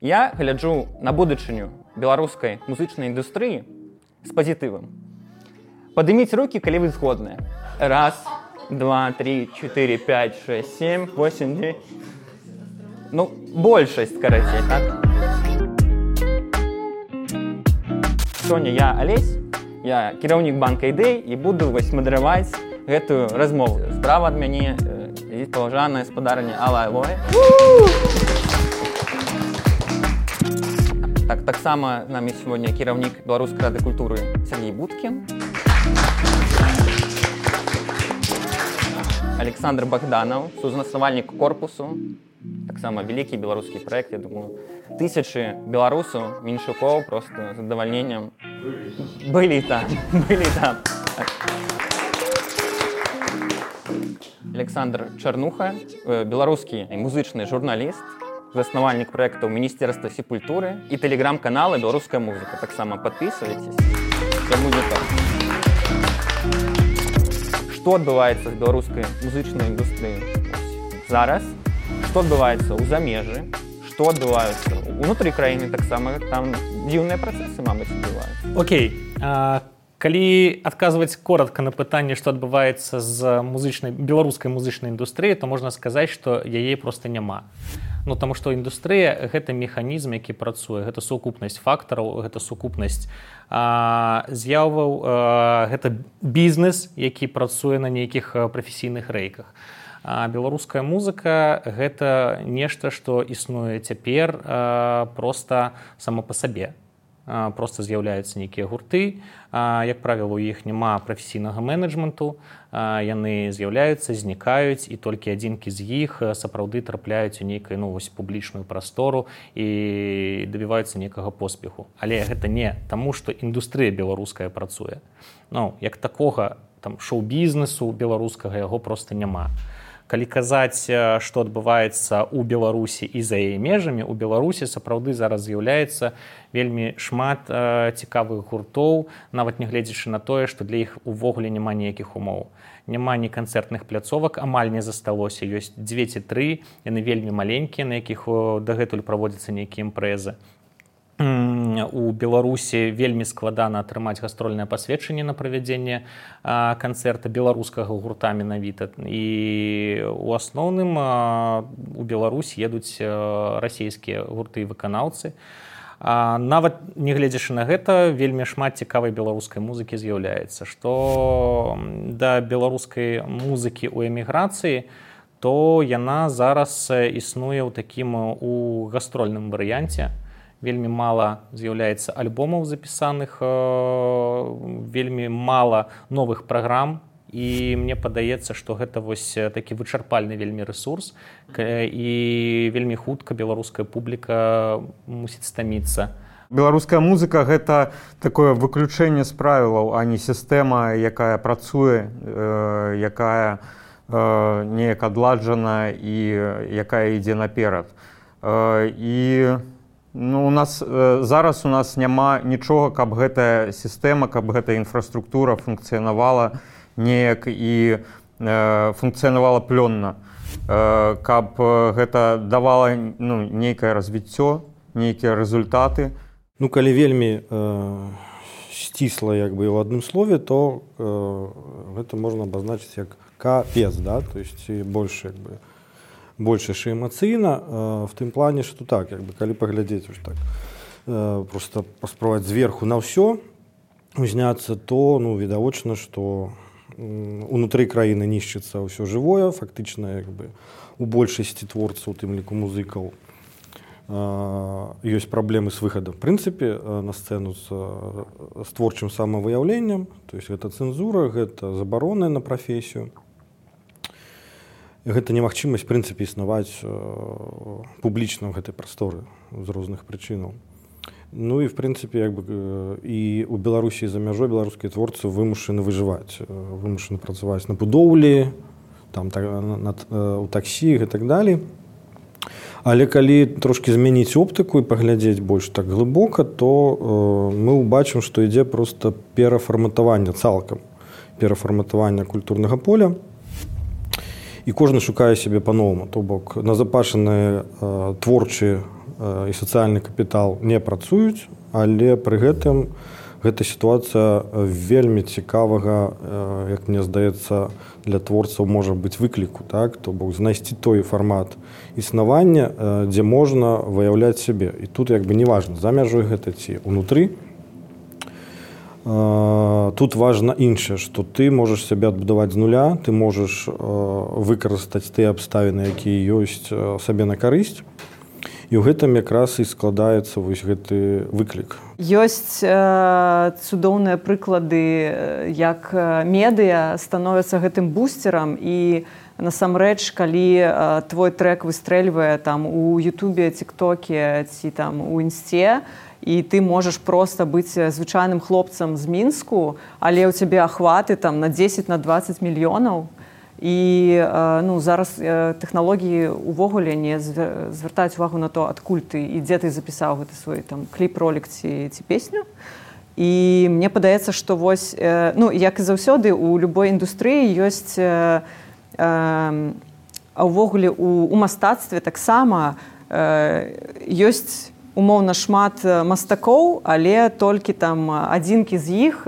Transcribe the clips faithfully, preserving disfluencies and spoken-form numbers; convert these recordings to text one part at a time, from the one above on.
Я гляджу на будучыню беларускай музычнай індустрыі з пазітывам. Падыміць рукі, калі вы згодныя. Раз, два, три, четыре, пять, шесть, семь, восемь, девять. Ну, большасць, карацей, так? Сёння я Алесь, я кіраўнік банка ідэй і буду вось мадэраваць гэтую размову. Справа ад мяне э, паважаная спадарня Алла Алоэ. Так, таксама з намі сёння кіраўнік Беларускай рады культуры Сергей Будкін. Александр Богданов, сузнаснавальнік корпусу. Таксама вялікі беларускі праект, я думаю, тысячы беларусаў, меншукоў просто з задавальненнем былі там, былі там. Александр Чарнуха, беларускі музычны журналіст, заснавальнік праектаў Міністэрства сепультуры і тэлеграм-канала «Беларуская музыка». Таксама подписывайтесь. Што адбываецца з беларускай музычнай індустрыяй зараз? Што адбываецца ў замежжы? Што адбываецца ўнутры краіны таксама? Там дзіўныя працэсы, мабыць, адбываюцца. Окей. А, калі адказваць коротка на пытанне, што адбываецца з музычнай, беларускай музычнай індустрыяй, то можна сказаць, што яе проста няма. Ну, таму што індустрыя – гэта механізм, які працуе, гэта сукупнасць фактараў, гэта сукупнасць а, з'яваў, а, гэта бізнес, які працуе на нейкіх прафесійных рэйках. А беларуская музыка – гэта нешта, што існуе цяпер а, проста само па сабе. А, проста з'яўляюцца нейкія гурты, а, як правіла, у іх няма прафесійнага менеджменту, а, яны з'яўляюцца, знікаюць, і толькі адзінкі з іх сапраўды трапляюць у нейкую, ну, вось, публічную прастору і дабіваюцца нейкага поспеху. Але гэта не таму, што індустрыя беларуская працуе. Ну, як такога там шоу-бізнесу беларускага яго проста няма. Калі казаць, што адбываецца ў Беларусі і за яе межамі, у Беларусі сапраўды зараз з'яўляецца вельмі шмат э, цікавых гуртоў, нават нягледзячы на тое, што для іх увогуле няма ніякіх умоў. Няма ні канцэртных пляцовак, амаль не засталося. Ёсць дзве ці тры, яны вельмі маленькія, на якіх дагэтуль праводзяцца нейкія імпрэзы. У Беларусі вельмі складана атрымаць гастрольнае пасведчанне на правядзенне канцэрта беларускага гурта менавіта. І ў асноўным у Беларусь едуць расійскія гурты і выканаўцы. Нават нягледзячы на гэта, вельмі шмат цікавай беларускай музыкі з'яўляецца. Што да беларускай музыкі ў эміграцыі, то яна зараз існуе ў такім у гастрольным варыянце. Вельмі мала з'яўляецца альбомаў запісаных, вельмі мала новых праграм, і мне падаецца, што гэта вось такі вычарпальны вельмі рэсурс, і вельмі хутка беларуская публіка мусіць стаміцца. Беларуская музыка – гэта такое выключэнне з правілаў, а не сістэма, якая працуе, якая неяк адладжана і якая ідзе наперад. І ну, у нас э, зараз у нас няма нічога, каб гэтая сістэма, каб гэтая інфраструктура функцыянавала неяк і э, функцыянавала плённа, э, каб гэта давала, ну, нейкае развіццё, нейкія рэзультаты. Ну, калі вельмі э, сцісла, як бы, ў адным слове, то э, гэта можна абазначыць як капец, да, то есть больш, як бы, больш яшчэ эмацыйна, э, в тым плане, што так, як бы, калі паглядзець ось так, э, просто паспрабаваць зверху на ўсё узняцца, то, ну, відавочна, што э, унутры краіны нішчыцца ўсё жывое, фактычна, як бы, у большасці творцаў, у тым ліку музыкаў, э, ёсць праблемы з выхадам, в прынцыпе, э, на сцэну з, э, з творчым самавыяўленнем, то есть гэта цэнзура, гэта забароны на прафесію. Гэта немагчымасць, в прынцыпе, існаваць э, публічна ў гэтай прасторы з розных прычынаў. Ну і, в прынцыпе, як бы, э, і ў Беларусі і за мяжой беларускія творцы вымушаны выжываць, э, вымушаны працаваць на будоўлі, там, та, на, на, э, у таксі і так далей. Але калі трошкі змяніць оптыку і паглядзець больш так глыбока, то э, мы ўбачым, што ідзе проста перафарматаванне цалкам, перафарматаванне культурнага поля. І кожны шукае сябе па-новаму, то бок назапашаныя э, творчыя і сацыяльны капітал не працуюць, але пры гэтым гэта сітуацыя вельмі цікавага, як мне здаецца, для творцаў можа быць выкліку, так? То бок знайсці той фармат існавання, дзе можна выяўляць сябе. І тут як бы не важна, за мяжой гэта ці ўнутры. Тут важна іншае, што ты можаш сябе адбудаваць з нуля, ты можаш выкарыстаць тыя абставіны, якія ёсць сабе на карысць. І ў гэтым якраз і складаецца вось гэты выклік. Ёсць э, цудоўныя прыклады, як медыа становяцца гэтым бустерам, і насамрэч, калі э, твой трэк выстрэльвае там у Ютубе, Тіктоке ці там у Інсце, і ты можаш проста быць звычайным хлопцам з Мінску, але ў цябе ахваты там на дзесяць на дваццаць мільёнаў. І ну, зараз тэхналогіі увогуле не звяртаюць увагу на то, адкуль ты і дзе ты запісаў гэты свой там кліп-ролік ці, ці песню. І мне падаецца, што вось, ну, як і заўсёды, у любой індустрыі ёсць, а ўвогуле у, у мастацтве таксама ёсць умоўна шмат мастакоў, але толькі там адзінкі з іх,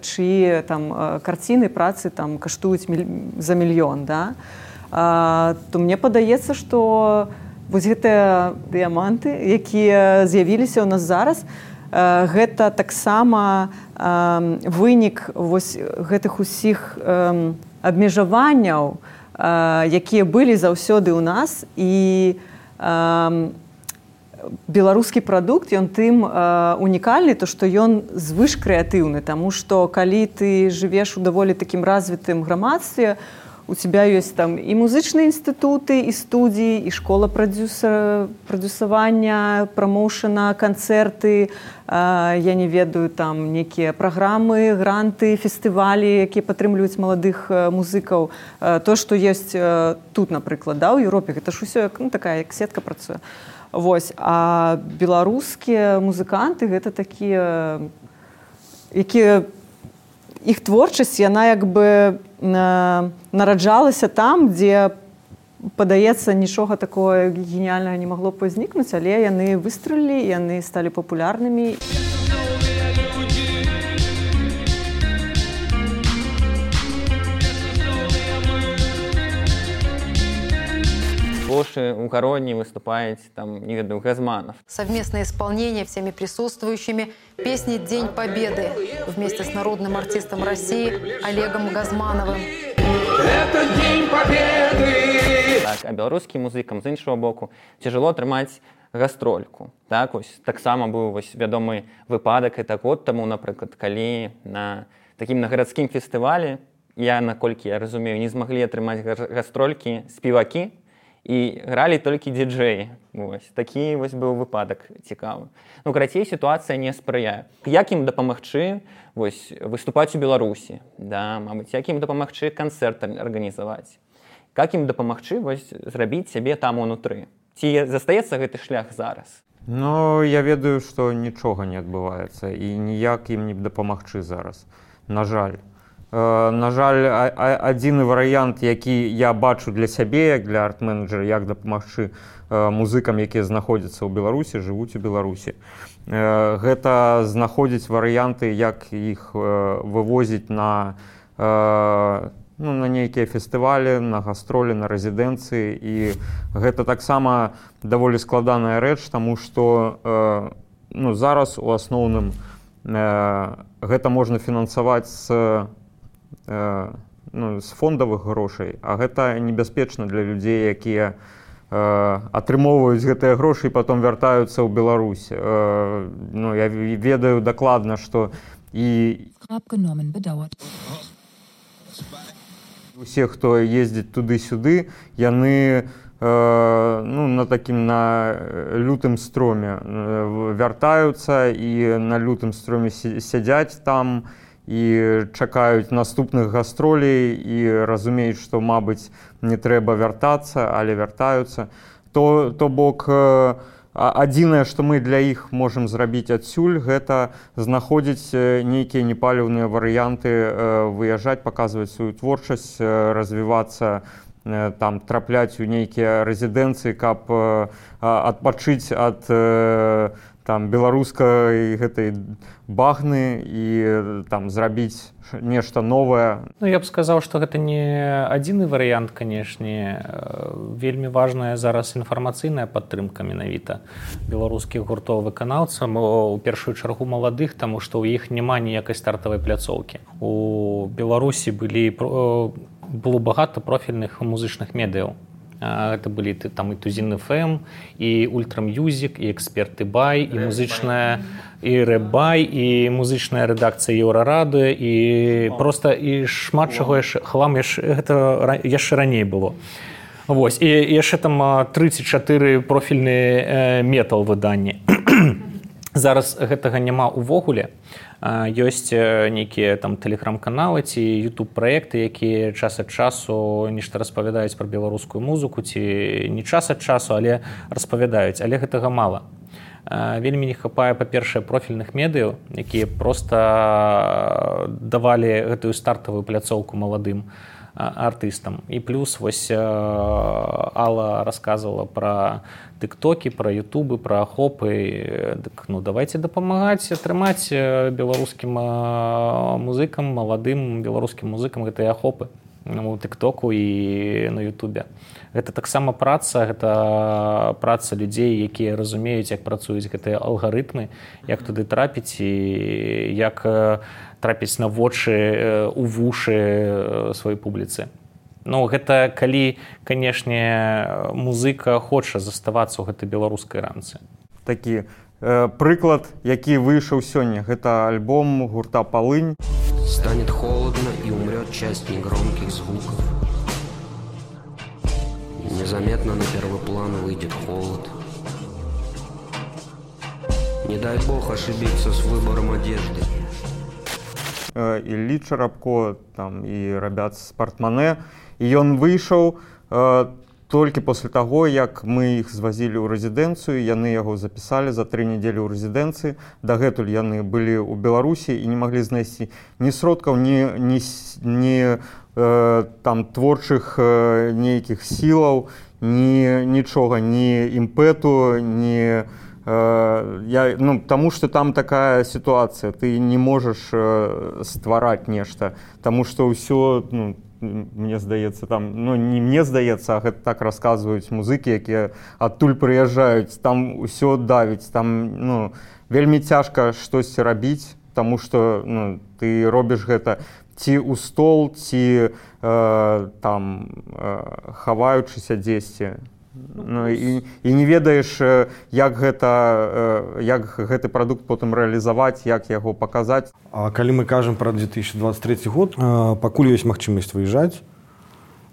чыі там карціны, працы там каштуюць міль... за мільён, да? А, то мне падаецца, што вось гэтыя дыяманты, якія з'явіліся ў нас зараз, гэта таксама вынік вось гэтых усіх абмежаванняў, якія былі заўсёды ў нас, і беларускі прадукт, ён тым э, унікальны, то што ён звыш крэатыўны, таму што калі ты жывеш у даволі такім развітым грамадстве, у тебя ёсць там і музычныя інстытуты, і студіі, і школа прадзюсера, прадзюсавання, прамоушана, канцэрты, э, я не ведаю, там некія праграмы, гранты, фестывалі, якія падтрымліваюць маладых э, музыкаў. Э, то, што ёсць э, тут, напрыклад, да, ў Еўропе, гэта ж усё ну, такая, як сетка працуе. Вось, а беларускія музыканты гэта такія, якія іх творчасць, яна як бы нараджалася там, дзе, падаецца, нічога такого геніальнага не магло б узнікнуць, але яны выстрэлілі, яны сталі папулярнымі. Лоши у Короне выступает, там, не веду, Газманов. Совместное исполнение всеми присутствующими песни «День Победы» вместе с народным артистом России Олегом Газмановым. Это День Победы! Так, а белорусским музыкам, з іншого боку, тяжело атрымаць гастрольку. Так, ось, таксама быў вось, вядомы выпадак, і так год таму, напрыклад, калі на такім на гарадскім фестывалі, я, наколькі я разумею, не змаглі атрымаць гастролькі спевакі, і гралі толькі діджэі. Вось. Такі вось быў выпадак цікавы. Ну, карацей, сітуацыя не спрыяе. Як ім дапамагчы вось, выступаць у Беларусі? Да, мабыць, як ім дапамагчы канцэрт арганізаваць? Як ім дапамагчы вось, зрабіць сябе там унутры? Ці застаецца гэты шлях зараз? Ну, я ведаю, што нічога не адбываецца, і ніяк ім не дапамагчы зараз. На жаль. На жаль, адзіны варыянт, які я бачу для сябе, як для арт-менеджера, як дапамагчы музыкам, якія знаходзяцца ў Беларусі, жывуць у Беларусі. Гэта знаходзіць варыянты, як іх вывозіць на, ну, на нейкія фестывалі, на гастролі, на рэзідэнцыі. І гэта таксама даволі складаная рэч, таму што ну, зараз у асноўным гэта можна фінансаваць з ну, з фондавых грошай, а гэта небяспечна для людзей, якія э, атрымоўваюць гэтыя грошы і потом вяртаюцца ў Беларусь. Э, ну, я ведаю дакладна, што і усе, хто ездзіць туды-сюды, яны э, ну, на такім на лютым строме вяртаюцца і на лютым строме сядзяць там, і чакаюць наступных гастролей і разумеюць, што, мабыць, не трэба вяртацца, але вяртаюцца. То, то бок, адзінае, што мы для іх можам зрабіць адсюль, гэта знаходзіць нейкія непаліўныя варыянты, выязджаць, паказваць сваю творчасць, развівацца там трапляць у нейкія рэзідэнцыі, каб адпачыць ад там беларускай гэтай багны і там зрабіць нешта новае. Ну, я б сказаў, што гэта не адзіны варыянт, канешне. Вельмі важная зараз інфармацыйная падтрымка менавіта беларускіх гуртоў выканаўцаў, у першую чаргу маладых, таму што ў іх няма ніякай стартавай пляцоўкі. У Беларусі былі было багата профільных музычных медыяў. Гэта былі там і Тузін эф эм, і Ультра Мьюзік, і Эксперты Бай, і музычная і Рэбай, і музычная рэдакцыя Еўрарадыё, і проста і шмат чаго яшчэ хлам гэта яшчэ раней было. Вось, і яшчэ там тры ці чатыры профільныя метал выданні. Зараз гэтага няма ўвогуле. Ёсць нейкія там тэлеграм-каналы ці ютуб-праекты, якія час ад часу нешта распавядаюць пра беларускую музыку, ці не час ад часу, але распавядаюць, але гэтага мала. Вельмі не хапае, па-першае, профільных медыяў, якія проста давалі гэтую стартавую пляцоўку маладым артыстам. І плюс вось Алла расказвала пра тыктокі, пра ютубы, пра ахопы. Дык, ну, давайце дапамагаць атрымаць беларускім музыкам, маладым беларускім музыкам гэтыя ахопы у тыктоку і на ютубе. Гэта таксама праца, гэта праца людзей, якія разумеюць, як працуюць гэтыя алгарытмы, як туды трапіць і як трапіць на вочы, у вушы сваёй публіцы. Ну, гэта калі, канешне, музыка хоча заставацца ў гэтай беларускай рамцы. Такі э, прыклад, які выйшаў сёння, гэта альбом гурта «Полынь». Станет холодно и умрет часть негромких звуков. Незаметно на первый план выйдет холод. Не дай бог ошибиться с выбором одежды. Іллі Чарапко там, і рабят з «Портмане». І ён выйшаў э, толькі пасля таго, як мы іх звазілі ў рэзідэнцыю, яны яго запісалі за тры недзелі ў рэзідэнцыі. Дагэтуль яны былі ў Беларусі і не маглі знайсці ні сродкаў, ні, ні, ні э, там, творчых э, нейкіх сілаў, ні нічога, ні імпэту, ні... Я, ну, тому что там такая ситуация, ты не можешь э, ствараць нешта, тому что ўсё, ну, мне здаецца, там, ну, не мне здаецца, а гэта так расказваюць музыкі, якія адтуль прыязджаюць, там ўсё давіць, там, ну, вельмі цяжка штосьці рабіць, тому что, ну, ты робіш гэта ці ў стол, ці э, там э, хаваючыся дзесьці. Ну, і, і не ведаеш, як, гэта, як гэты прадукт потым рэалізаваць, як яго паказаць. А калі мы кажам пра две тысячи двадцать третий год, пакуль ёсць магчымасць выязджаць,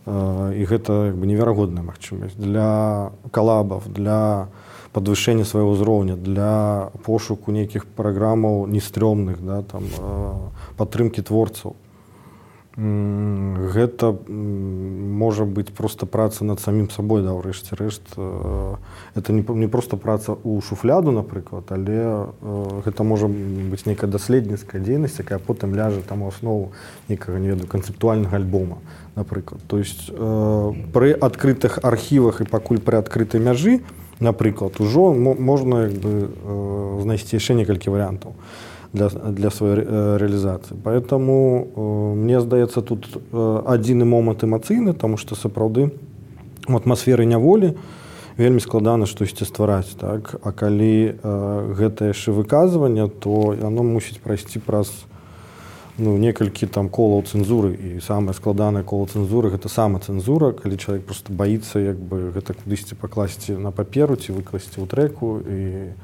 і гэта як бы неверагодная магчымасць для калабаў, для падвышэння свайго ўзроўня, для пошуку нейкіх праграмаў нестрёмных, да, там, падтрымкі творцаў. Гэта можа быць проста праца над самім сабой, да, ўрэшце рэшт. Это не, не проста праца ў шуфляду, напрыклад, але гэта можа быць нейкая даследніцкая дзейнасць, якая потым ляжа там у аснову нейкага, не ведаю, канцэптуальнага альбома, напрыклад. То есть пры адкрытых архівах і пакуль пры адкрытай мяжы, напрыклад, ужо можна як бы знайсці яшчэ некалькі варыянтаў для, для своей ре, реализации. Поэтому э, мне здаецца тут э, адзіны момант эмацыйны, тому што сапраўды у атмасферы няволі вельмі складана штосьці ствараць, так? А калі э, гэта яшчэ выказванне, то яно мусіць прайсці праз ну, некалькі там колаў цэнзуры, і самае складанае кола цэнзуры гэта самацэнзура, калі чалавек просто баіцца як бы гэта кудысьці пакласці на паперу ці выкласці ў трэку і,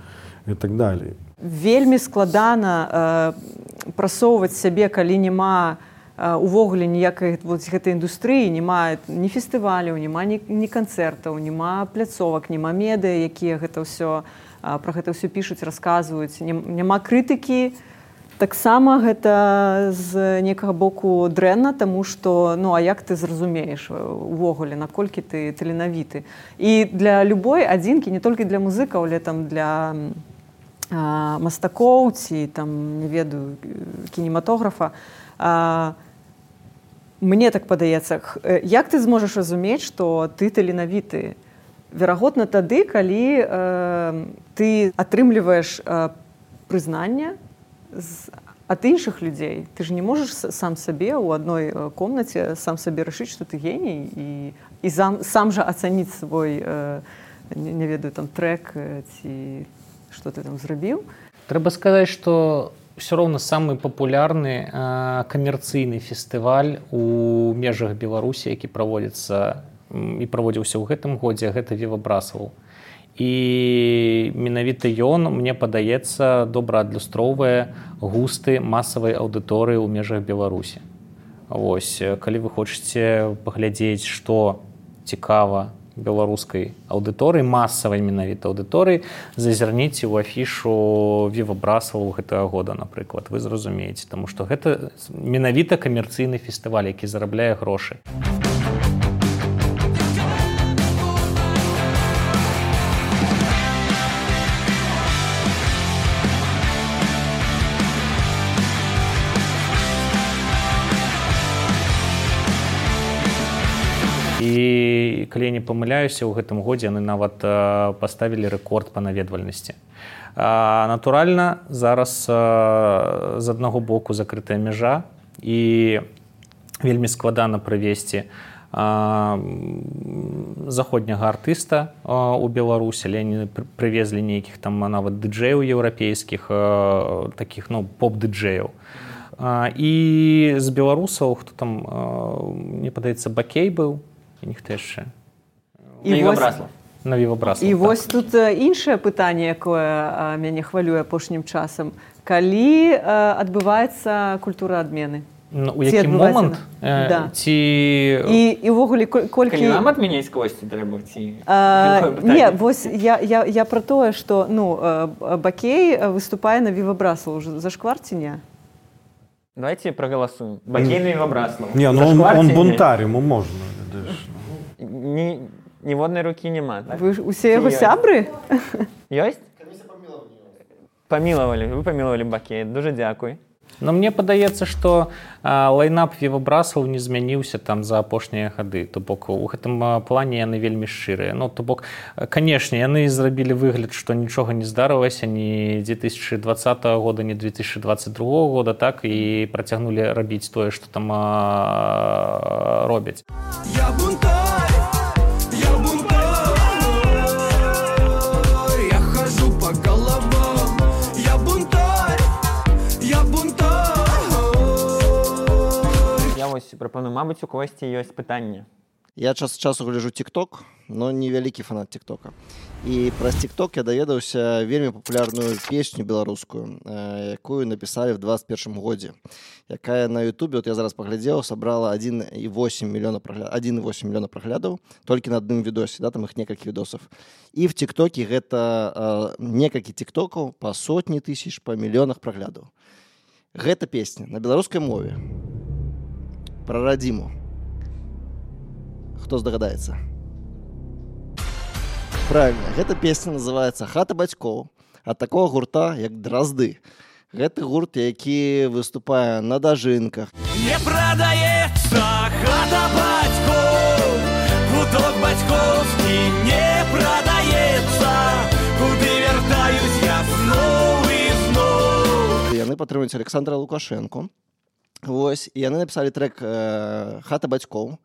і так далей. Вельмі складана э, прасоўваць сябе, калі няма э, увогуле ніякай вот, гэтай індустрыі, няма ні фестываляў, няма ні, ні канцэртаў, няма пляцовак, няма медыа, якія гэта ўсё, э, пра гэта ўсё пішуць, расказваюць, няма крытыкі. Таксама гэта з некага боку дрэнна, таму што ну а як ты зразумееш увогуле, наколькі ты таленавіты. І для любой адзінкі, не толькі для музыкаў, але там для а, мастакоў ці там не ведаю кінематографа, а, Мне так падаецца, як ты зможаш разумець, што ты таленавіты? Верагодна тады, калі э, ты атрымліваеш э, прызнанне з, ад іншых людзей. Ты ж не можаш сам сабе ў адной комнаце сам сабе рашыць, што ты геній і, і сам, сам жа ацаніць свой э, не, не ведаю там трек ці што ты там зрабіў. Трэба сказаць, што все роўна самы папулярны э, камерцыйны фестываль у межах Беларусі, які праводзіцца і праводзіўся ў гэтым годзе, гэта Viva Brussels. І менавіта ён, мне падаецца, добра адлюстроўвае густы масавай аўдыторыі ў межах Беларусі. Вось, калі вы хочаце паглядзець, што цікава беларускай аўдыторыі, масавай менавіта аўдыторыі, зазірніце ў афішу Viva Brussels гэтага года, напрыклад, вы зразумееце, таму што гэта менавіта камерцыйны фестываль, які зарабляе грошы. І калі я не памыляюся, ў гэтым годзе яны нават паставілі рэкорд па наведвальнасці. Натуральна, зараз з аднаго боку закрытая мяжа і вельмі складана прывесці заходняга артыста ў Беларусі, але яны прывезлі нейкіх там нават дыджэяў еўрапейскіх, такіх, ну, поп-дыджэяў. І з беларусаў, хто там, мне падаецца, Бакей быў, і ніхто яшчэ. На Viva Brussels. На Viva Brussels, І так. вось тут іншае пытанне, якое мяне хвалюе апошнім часам. Калі адбываецца культура адмены? Ну, у які момант? Э, да. Ці... І, і ўвогуле, колькі... Калі нам адмяняць косці трэба, ці... А, не, вось я, я, я пра тое, што, ну, Бакей выступае на Viva Brussels. Уже зашквар ці не? Давайте проголосуем. Бакей на Viva Brussels. Не, ну он, он бунтарь, ему можно. Ні, ніводнай рукі няма. Так? Вы усе яго сябры? Ёсць? Памілавалі. Вы памілавалі Бакей. Дуже дякую. Но мне падаецца, што лайнап Viva Brussels не змяніўся там за апошнія гады. То бок у гэтым плане яны вельмі шчырыя. Ну, то бок, канешне, яны зрабілі выгляд, што нічога не здарылася ні две тысячи двадцатого года, ні две тысячи двадцать другого года, так, і працягнулі рабіць тое, што там а, робяць. Я бунтарь, я бунтарь, я хожу по головам, я бунтарь, я бунтарь. Я вось прапаную, мабыць, у когосьці ёсць пытанне. Я час ад часу гляджу TikTok, но не вялікі фанат TikToka. І праз TikTok я даведаўся вельмі папулярную песню беларускую, якую напісалі в двадцать первом годзе, якая на Ютубе, вот я зараз паглядзеў, сабрала один и восемь миллиона праглядаў, один и восемь миллиона праглядаў толькі на адным відосе, да, там іх некалькі відосаў. І в TikToке гэта э, некалькі TikTokаў па сотні тысяч, па мільёнах праглядаў. Гэта песня на беларускай мове пра радзіму. Хто здагадаецца? Правильно, гэта песня называецца «Хата бацькоў» ад такого гурта, як Дразды. Гэты гурт, які выступае на дажынках. Не прадаецца хата бацькоў, куток бацькоўскі не прадаецца, куды вяртаюсь я зноў і зноў. Яны падтрымуюць Александра Лукашенко. Вось, і яны напісалі трек э, «Хата бацькоў».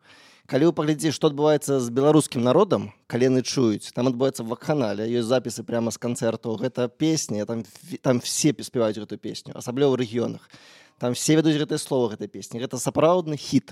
Калі вы паглядзіце, што адбываецца з беларускім народам, калі яны чуюць, там адбываецца вакханалія, ёсць запісы прямо з канцэртаў, гэта песня, там, там все спяваюць гэту песню, асабліва ў рэгіёнах. Там все ведуць гэтыя словы гэтай песні. Гэта сапраўдны хіт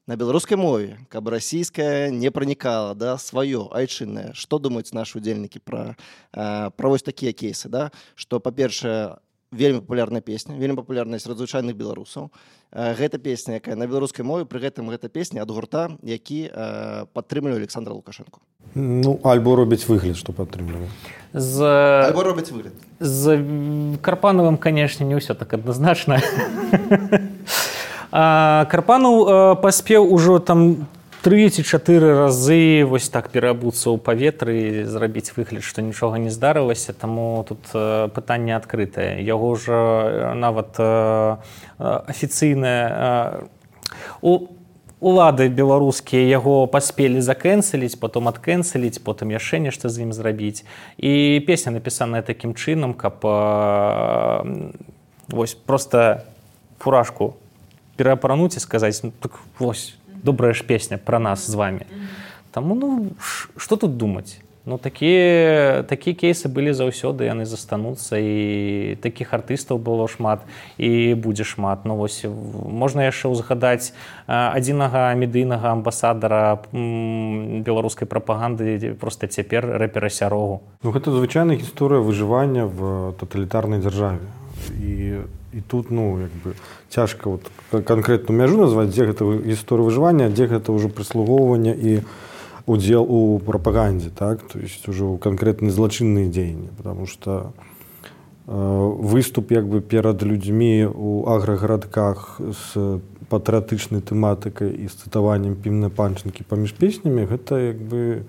на беларускай мове, каб расійская не пранікала, да, сваё, айчыннае. Што думаюць нашы удзельнікі пра, э, пра вось такія кейсы, да? Што, па-першае, вельмі папулярная песня, вельмі папулярная сярод звычайных беларусаў. Гэта песня, якая на беларускай мове, пры гэтым гэта песня ад гурта, які э, падтрымлівае Александра Лукашенко. Ну, альбо робіць выгляд, што падтрымлівае. З... Альбо робіць выгляд. З Карпановым, канешне, не ўсё так адназначна. Карпанов паспеў ужо там тры ці чатыры разы вось так пераабуцца ў паветры, зрабіць выгляд, што нічога не здарылася, таму тут пытанне адкрытае. Яго ж нават афіцыйнае... У улады беларускія яго паспелі закэнселіць, потом адкэнселіць, потым яшчэ нешта з ім зрабіць. І песня напісаная такім чынам, каб вось просто фуражку пераапрануць і сказаць, ну так вось, добрая ж песня пра нас з вамі. Таму, ну, што тут думаць? Ну, такія, такія кейсы былі заўсёды, яны застануцца, і такіх артыстаў было шмат, і будзе шмат. Ну, вось, можна яшчэ ўзгадаць адзінага медыйнага амбасадара беларускай прапаганды, проста цяпер рэпера Сярогу. Ну, гэта звычайная гісторыя выжывання в таталітарнай дзяржаве. І, і тут, ну, як бы, цяжка вот, канкрэтную мяжу назваць, дзе гэта гісторыя выжывання, а дзе гэта ўжо прыслугоўванне і удел у пропаганде, так, то есть уже конкретные злочинные деяния, потому что э, выступ як бы перед людьми у агрогородках с патриотичной тематикой и с цитованием Пімны Панченки поміж песнями, это як бы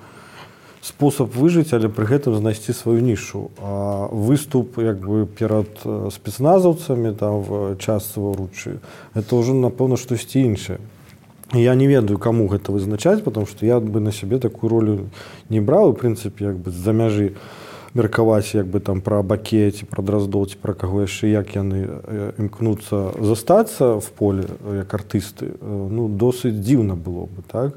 способ выжить, але при этом знайти свою нишу. А выступ як бы перед спецназовцами там в час Саворуччы, это уже напэўна штосьці іншае. Я не ведаю, кому гэта вызначаць, потому что я бы на сябе такую ролю не браў, в прынцыпе, як бы з-за мяжы меркаваць як бы там пра Баке ці пра Драздоў ці пра каго яшчэ, як яны імкнуцца застацца в поле як артысты, ну, досыць дзіўна было бы, так?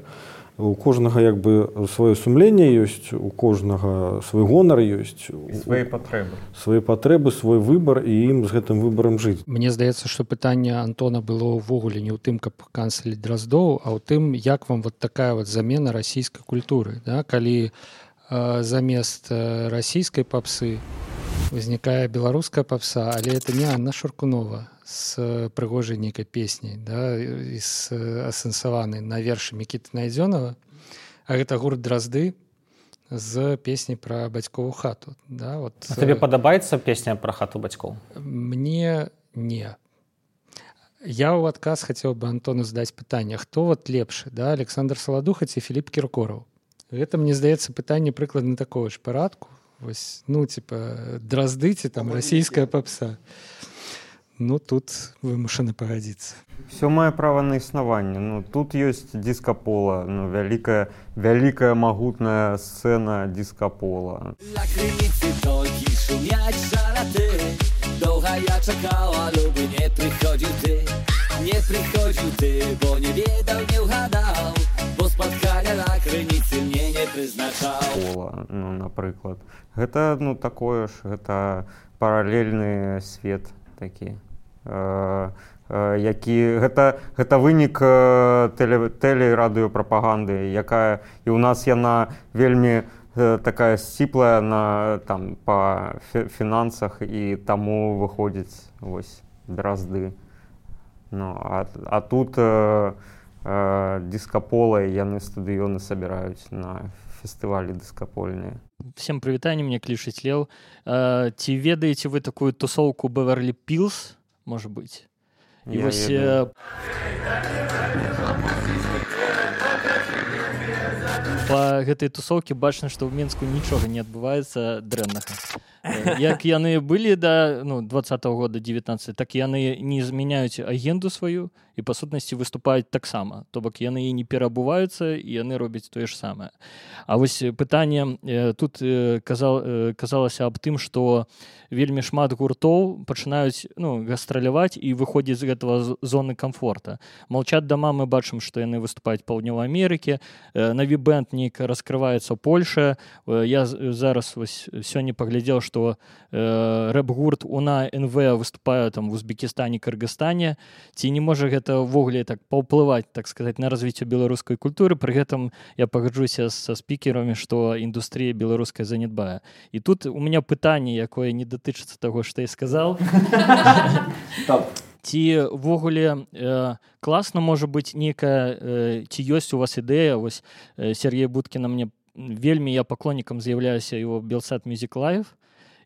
У кожнага як бы сваё сумленне ёсць, у кожнага свой гонар ёсць, свае патрэбы. Свае патрэбы, свой выбар, і ім з гэтым выбарам жыць. Мне здаецца, што пытанне Антона было ўвогуле не ў тым, каб канцеліць Драздоў, а ў тым, як вам вот такая вот замена расійскай культуры, да? Калі э, замест э, расійскай папсы узнікае беларуская папса, але это не Анна Шуркунова з прыгожай нейкай песняй, да, і з асэнсаванай на вершы Мікіты Найдзёнава, а гэта гурт Дразды з песняй пра бацькову хату. Да, вот. А табе падабаецца песня пра хату бацькоў? Мне не. Я ў адказ хацеў бы Антону задаць пытанне, хто вот лепшы, да, Александр Саладуха ці Філіп Кіркораў? Гэта, мне здаецца, пытанне прыкладна такого ж парадку. Вось, ну, типа, Дразды ці там расійская папса. Ну, тут вымушаны пагадзіцца. Все мае права на існаванне. Ну, тут ёсць дыска-пола, ну, вялікая, вялікая магутная сцэна дыска-пола. На крыніцы толькі шумяць жараты, доўга я чакала, любы, не прыходзіў ты, не прыходзіў ты, бо не ведаў, не ўгадаў, бо спаткання на крыніцы мне не прызначаў. Пола, ну, напрыклад. Гэта, ну, такое ж, гэта паралельны свет такі. Э, э, які гэта, гэта вынік тэле, тэлерадыёпрапаганды, якая і ў нас яна вельмі э, такая сціплая на там па фінансах, і таму выходзіць вось Дразды. Ну, а, а тут э, э, дыска-пола, яны стадыёны сабіраюць на фестывалі дыскапольныя. Всем прывітанне, мне клічыць Леў. Э, ці ведаеце вы такую тусоўку Беверлі Пілз? Может быть. И я вось, э, па гэтай тусоўкі бачна, што ў Мінску нічога не адбываецца дрэннага. Як яны былі да ну, двадцатого года девятнадцатого, так яны не змяняюць агенду сваю і па сутнасці выступаюць таксама. То бок яны і не перабуваюцца, і яны робяць тое ж самае. А вось пытанне э, тут э, казал, э, казалася аб тым, што вельмі шмат гуртоў пачынаюць ну, гастраляваць і выходзіць з гэтага зоны камфорта. Молчат дома, мы бачым, што яны выступаюць па Паўднёвай Амерыкі, э, Нові бэнд нейк раскрываецца ў Польшы. Э, я зараз вось сёння паглядзеў, што э, рэп-гурт УНА эн вэ выступае там в Узбекістане, Кыргызстане. Ці не можа гэта ўвогуле так паўплываць, так сказаць, на развіццё беларускай культуры? Пры гэтым я пагаджуся са спікерамі, што індустрыя беларуская занядбае. І тут у меня пытанне, якое не датычыцца таго, што я сказаў. Ці ўвогуле э, класна можа быць нейкая, э, ці ёсць у вас ідэя, вось э, Сергей Будкіна мне вельмі, я паклоннікам з'яўляюся его Белсат Music Live,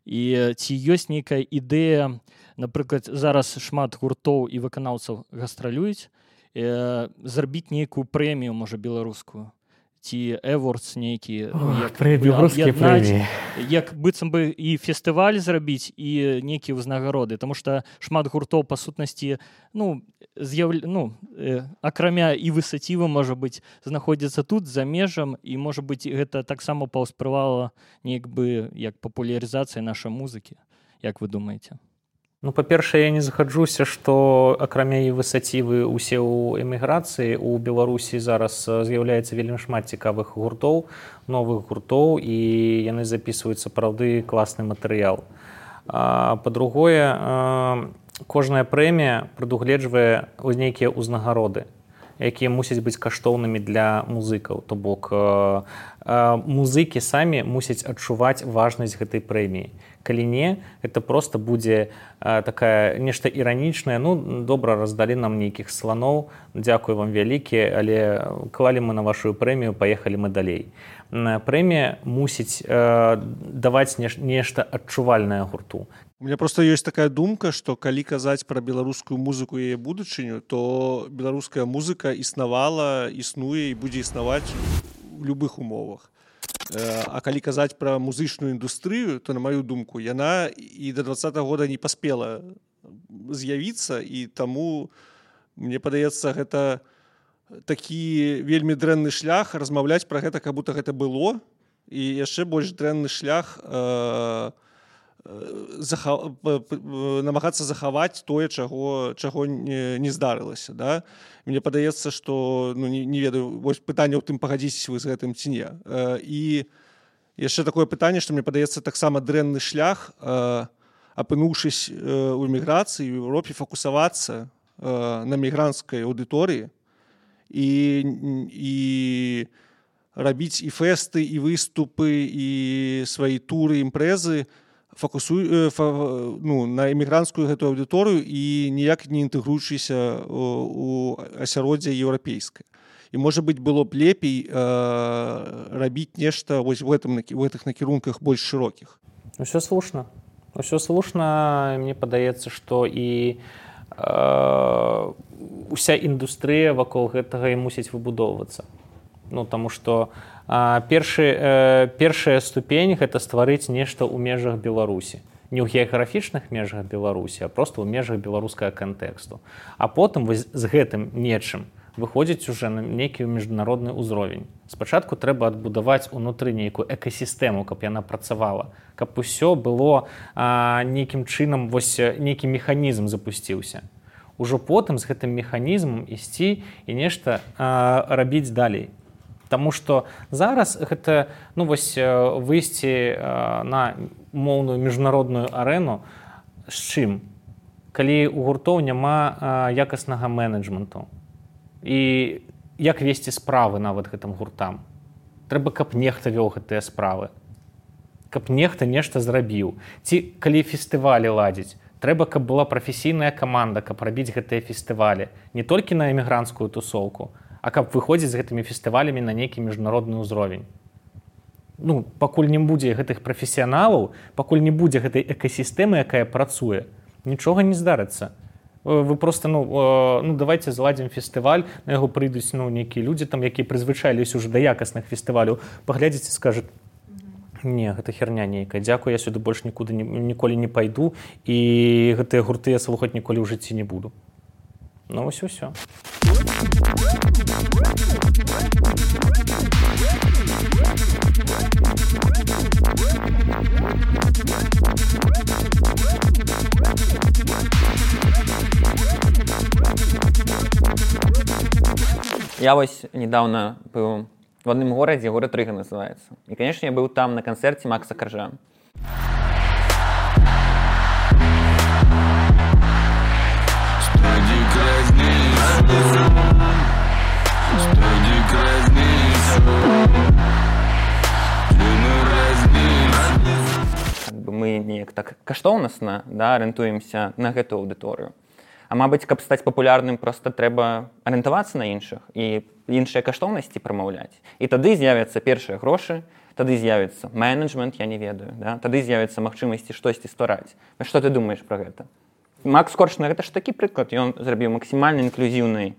і ці ёсць нейкая ідэя, напрыклад, зараз шмат гуртоў і выканаўцаў гастралююць, э, зрабіць нейкую прэмію, можа, беларускую. ці эвордс нейкі, ну, беларускія прэміі, як быццам бы і фестываль зрабіць і нейкія ўзнагароды, тому што шмат гуртоў па сутнасці ну з'яв... ну э, акрамя і высацівы можа быць знаходзіцца тут за межам, і можа быць гэта таксама паўспрывала неяк бы як папулярызацыя нашай музыкі. Як вы думаеце? Ну, па-першае, я не згаджуся, што акрамя і высацівы усе ў эміграцыі у Беларусі зараз з'яўляецца вельмі шмат цікавых гуртоў, новых гуртоў, і яны запісваюць сапраўды класны матэрыял. Па-другое, кожная прэмія прадугледжвае нейкія ўзнагароды, якія мусяць быць каштоўнымі для музыкаў. То бок музыкі самі мусяць адчуваць важнасць гэтай прэміі. Калі не, это просто будзе а, такая нешта іранічнае. Ну, добра, раздалі нам нейкіх сланоў, дзякуй вам вялікі, але клалі мы на вашу прэмію, паехалі мы далей. Прэмія мусіць а, даваць неш, нешта адчувальнае гурту. У меня просто ёсць такая думка, што калі казаць пра беларускую музыку і яе будучыню, то беларуская музыка існавала, існуе і будзе існаваць у любых умовах. А калі казаць пра музычную індустрыю, то, на маю думку, яна і да двадцатага года не паспела з'явіцца, і таму, мне падаецца, гэта такі вельмі дрэнны шлях размаўляць пра гэта, как будто гэта было, і яшчэ больш дрэнны шлях э, заха... намагацца захаваць тое, чаго, чаго не, не здарылася. Да? Мне падаецца, што ну, не, не ведаю, вось пытанне ў тым, пагадзіцеся вы з гэтым ці не. І яшчэ такое пытанне, што мне падаецца таксама дрэнны шлях, апынуўшись у эміграцыі, у Еўропе, фокусавацца на мігрантскай аўдыторыі і, і рабіць і фэсты, і выступы, і свае туры, імпрэзы, фокусуй фа, ну, на эмігрантскую гэтую аўдыторыю і ніяк не інтэгруючыся у асяроддзе еўрапейскае. І, можа быць, было б лепей э, рабіць нешта вось в, гэтым, в гэтых накірунках больш шырокіх. Усё слушна. Усё слушна. Мне падаецца, што і э, уся індустрыя вакол гэтага і мусіць выбудоўвацца. Ну, таму што а, першы, э, першая ступень – гэта стварыць нешта ў межах Беларусі. Не ў геаграфічных межах Беларусі, а проста ў межах беларускага кантэксту. А потым вось з гэтым нечым выходзіць уже на нейкі міжнародны ўзровень. Спачатку трэба адбудаваць унутры нейкую экасістэму, каб яна працавала, каб усё было а, нейкім чынам, вось нейкі механізм запусціўся. Ужо потым з гэтым механізмам ісці і нешта а, рабіць далей. Таму што зараз гэта ну, вось, выйсці на моўную міжнародную арэну з чым? Калі у гуртоў няма якаснага менеджменту. І як весці справы нават гэтым гуртам? Трэба, каб нехта вёў гэтыя справы. Каб нехта нешта зрабіў. Ці калі фестывалі ладзіць, трэба, каб была прафесійная каманда, каб рабіць гэтыя фестывалі. Не толькі на эмігранцкую тусоўку, а каб выходзіць з гэтымі фестывалямі на нейкі міжнародны ўзровень. Ну, пакуль не будзе гэтых прафесіяналаў, пакуль не будзе гэтай экасістэмы, якая працуе, нічога не здарыцца. Вы просто, ну, ну давайте зладзім фестываль, на яго прыйдуць ну, нейкія людзі, там, якія прызвычаіліся ўжо да якасных фестываляў, паглядзіце, скажуць, не, гэта херня нейкая, дзякуй, я сюды больш нікуды ні, ніколі не пайду, і гэтыя гурты я слухаць ніколі ў жыцці не буду. Ну, вось усё. Я вось недавно был в одном городе, город Рига называется. И, конечно, я был там на концерте Макса Коржа. Как бы мы не так каштоўнасна, да, арыентуемся на гэту аўдыторыю. А мабыць, каб стаць папулярным, проста трэба арыентавацца на іншых і іншыя каштоўнасці прамаўляць. І тады з'явяцца першыя грошы, тады з'явіцца менеджмент, я не ведаю, да? Тады з'явіцца магчымасці штосьці ствараць. Што ты думаеш пра гэта? Макс Корж, гэта ж такі прыклад, ён зрабіў максімальна інклюзіўны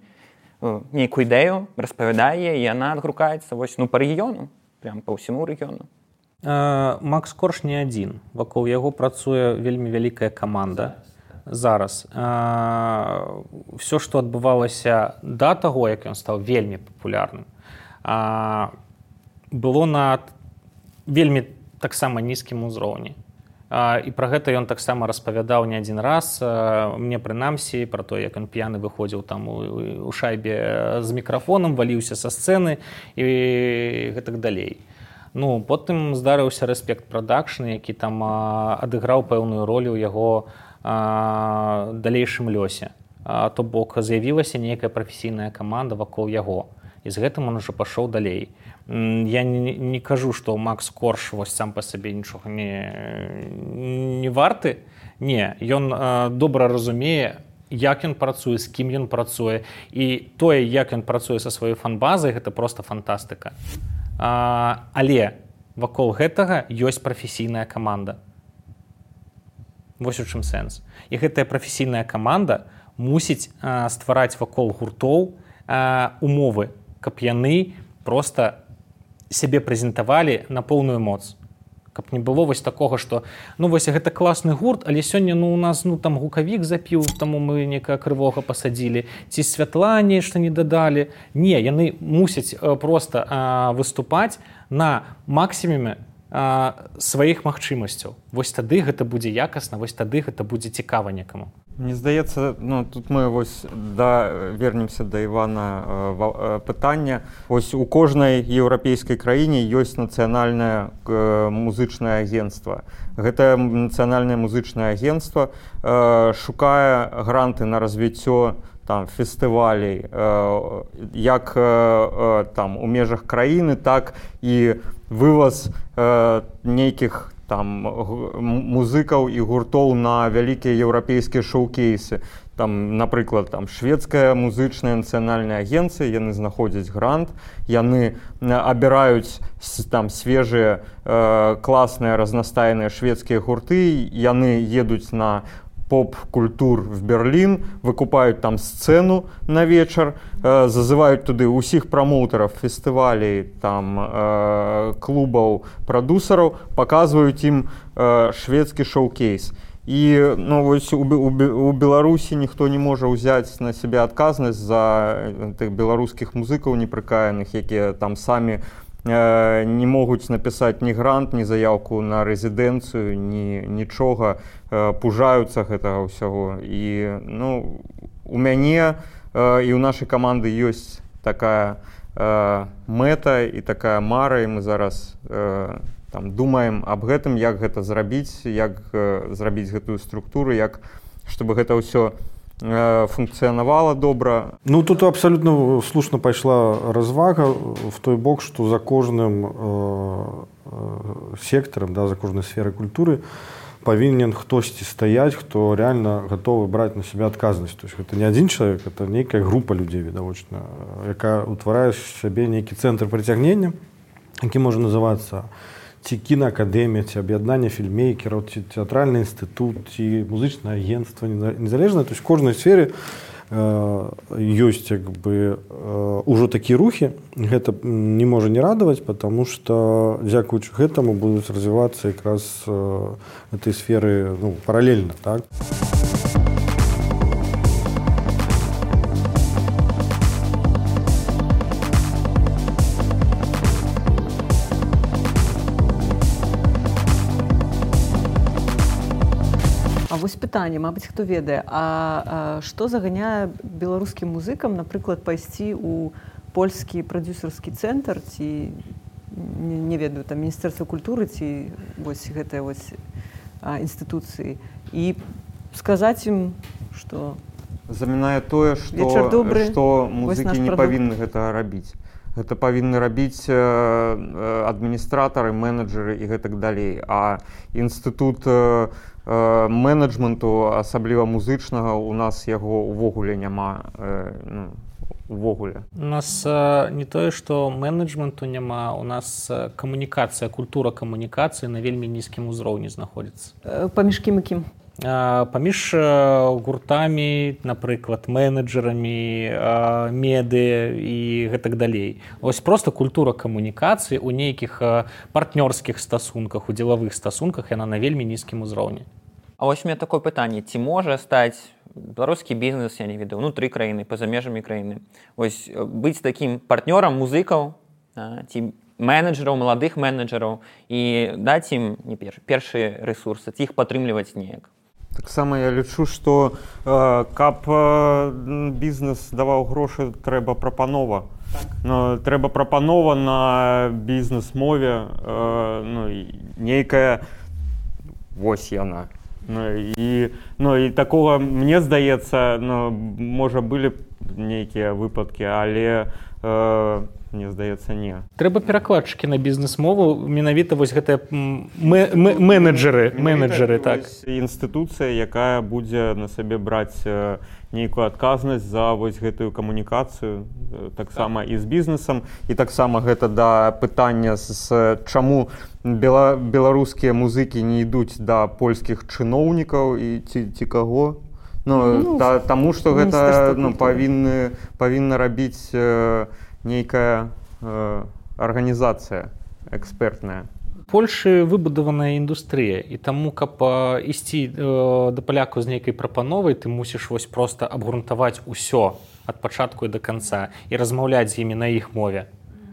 нейкую ідэю, распавядае, і яна адгрукаецца вось, ну, па рэгіёну, прям па ўсяму рэгіёну. Макс Корж не адзін. Вакол яго працуе вельмі вялікая каманда зараз. Все, што адбывалася да таго, як ён стаў вельмі папулярным, было на вельмі таксама нізкім узроўні. І пра гэта ён таксама распавядаў не адзін раз. Мне прынамсі пра то, як ён п'яны выходзіў там у шайбе з мікрафонам, валіўся са сцэны і гэтак далей. Ну, потым здарыўся Respect Production, які там адыграў пэўную ролю ў яго далейшым лёсе. То бок з'явілася нейкая прафесійная каманда вакол яго. І з гэтым он ужо пашоў далей. Я не, не кажу, што Макс Корж вось сам па сабе нічога не, не варты. Не, ён добра разумее, як ён працуе, з кім ён працуе. І тое, як ён працуе са сваёй фан-базай, гэта проста фантастыка. А, але вакол гэтага ёсць прафесійная каманда. Вось у чым сэнс. І гэтая прафесійная каманда мусіць а, ствараць вакол гуртоў а, умовы, каб яны проста сябе прэзентавалі на поўную моц. Каб не было вось такога, што ну вось гэта класны гурт, але сёння ну у нас ну там гукавік запіў, таму мы некага крывога пасадзілі, ці святла нешта не дадалі. Не, яны мусяць проста а, выступаць на максімуме а, сваіх магчымасцяў. Вось тады гэта будзе якасна, вось тады гэта будзе цікава некаму. Мне здаецца, ну, тут мы вось да, вернемся да Івана э, пытання. Вось у кожнай еўрапейскай краіне ёсць нацыянальнае э, музычнае агенцтва. Гэтае нацыянальнае музычнае агенцтва э, шукае гранты на развіццё там фестывалей э, як э, там у межах краіны, так і вываз э, нейкіх там музыкаў і гуртоў на вялікія еўрапейскія шоу-кейсы. Там, напрыклад, там шведская музычная нацыянальная агенцыя, яны знаходзяць грант, яны абіраюць там свежыя э, класныя разнастайныя шведскія гурты, яны едуць на поп-культур в Берлін, выкупаюць там сцэну на вечар, э, зазываюць туды ўсіх прамоўтараў фестывалей, там, э, клубаў, прадусараў, паказваюць ім э, шведскі шоу-кейс. І ну, вось у, у, у Беларусі ніхто не можа ўзяць на сябе адказнасць за тых беларускіх музыкаў непрыкаяных, якія там самі э, не могуць напісаць ні грант, ні заяўку на рэзідэнцыю, ні нічога, э, пужаюцца гэтага ўсяго. І ну, у мяне э, і ў нашай каманды ёсць такая э, мэта і такая мара, і мы зараз э, там думаем аб гэтым, як гэта зрабіць, як э, зрабіць гэтую структуру, як чтобы гэта ўсё э, функцыянавала добра. Ну тут абсалютна слушна пайшла развага в той бок, што за кожным э, э, сектарам, да, за кожнай сферай культуры павінен хтосьці стаяць, хто реально гатовы браць на сябе адказнасць. То есть гэта не адзін чалавек, это нейкая група людзей відавочна, якая утварае сябе нейкі цэнтр прыцягнення, які можа называцца ці кінаакадэмія, ці аб'яднанне фільмейкераў, ці тэатральны інстытут, ці музычнае агенцтва незалежнае. То есть в кожнай сфере э, ёсць як бы э, ужо такія рухі. Гэта не можа не радаваць, потому что дзякуючы гэтаму будуць развівацца якраз э, этой сферы ну, паралельна, так? Вось пытанне, мабыць, хто ведае, а, а што заганяе беларускім музыкам, напрыклад, пайсці ў польскі прадзюсарскі цэнтр, ці не, не ведаю, там міністэрства культуры, ці вось гэтыя вось а, інстытуцыі, і сказаць ім, што замінае тое, што, што музыкі не павінны гэтага рабіць. Гэта павінны рабіць э, адміністратары, менеджеры і гэтак далей. А інстытут э, э, менеджменту, асабліва музычнага, у нас яго ўвогуле няма. Э, ну, увогуле. У нас э, не тое, што менеджменту няма, у нас э, камунікацыя, культура камунікацыі на вельмі нізкім узроўні знаходзіцца. Э, паміж кім і кім? паміж гуртамі, напрыклад, менеджерамі, медыя і гэтак далей. Вось проста культура камунікацыі ў нейкіх партнёрскіх стасунках, у дзелавых стасунках яна на вельмі нізкім узроўні. А вось у меня такое пытанне, ці можа стаць беларускі бізнес, я не ведаю, унутры краіны, па-за межамі краіны, вось быць такім партнёрам музыкаў, ці менеджераў, маладых менеджераў і даць ім не першы, першыя рэсурсы, ці іх падтрымліваць неяк. Таксама я лічу, што э, каб э, бізнес даваў грошы, трэба прапанова. Ну, трэба прапанова на бізнес-мове, э, ну, нейкая, вось яна. Ну, і, ну, і такога, мне здаецца, ну, можа, былі нейкія выпадкі, але э, мне здаецца, не. Трэба перакладчыкі на бізнес-мову, менавіта вось гэтыя менеджеры, менеджеры, так. Інстытуцыя, якая будзе на сабе браць нейкую адказнасць за вось гэтую камунікацыю, таксама і з бізнесам, і таксама гэта да пытання, з чаму бела, беларускія музыкі не ідуць да польскіх чыноўнікаў і ці, ці каго. Ну, ну, та, таму, што гэта ну, павінны, павінна рабіць э, нейкая э, арганізацыя экспертная. Польшы выбудаваная індустрыя, і таму, каб э, ісці э, да палякаў з нейкай прапановай, ты мусіш вось проста абгрунтаваць усё ад пачатку і да канца і размаўляць з імі на іх мове.